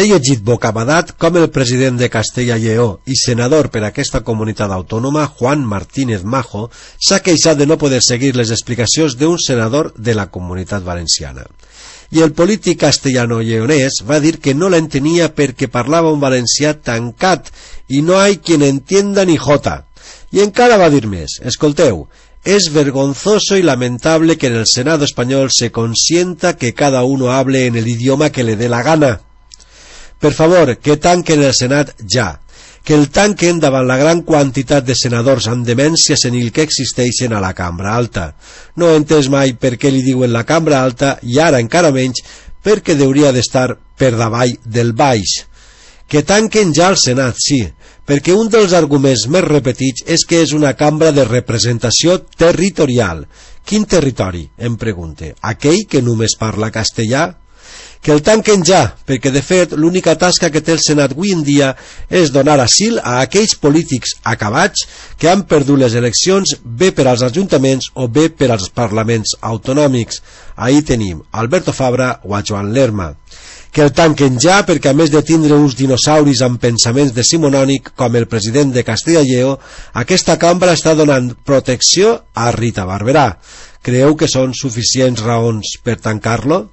llegit bocabadat com el president de Castella i Lleó i senador per aquesta comunitat autònoma, Juan Martínez Majo, s'ha queixat de no poder seguir les explicacions d'un senador de la comunitat valenciana. I el polític castellano-lleonès va dir que no l'entenia perquè parlava un valencià tancat i no hay quien entienda ni jota. I encara va dir més, escolteu, es vergonzoso y lamentable que en el Senado español se consienta que cada uno hable en el idioma que le dé la gana. Per favor, que tanquen el Senat ja, que el tanquen davant la gran quantitat de senadors amb demència senil que existeixen a la cambra alta. No he entès mai per què li diuen la cambra alta i ara encara menys perquè hauria d'estar per davall del baix. Que tanquen ja el Senat, sí, perquè un dels arguments més repetits és que és una cambra de representació territorial. Quin territori? Em pregunte. Aquell que només parla castellà? Que el tanquen ja, perquè de fet l'única tasca que té el Senat avui en dia és donar asil a aquells polítics acabats que han perdut les eleccions bé per als ajuntaments o bé per als parlaments autonòmics. Ahí tenim Alberto Fabra o a Joan Lerma. Que el tanquen ja perquè a més de tindre uns dinosauris amb pensaments decimonònic com el president de Castella i Lleó, aquesta cambra està donant protecció a Rita Barberà. Creu que són suficients raons per tancar-lo?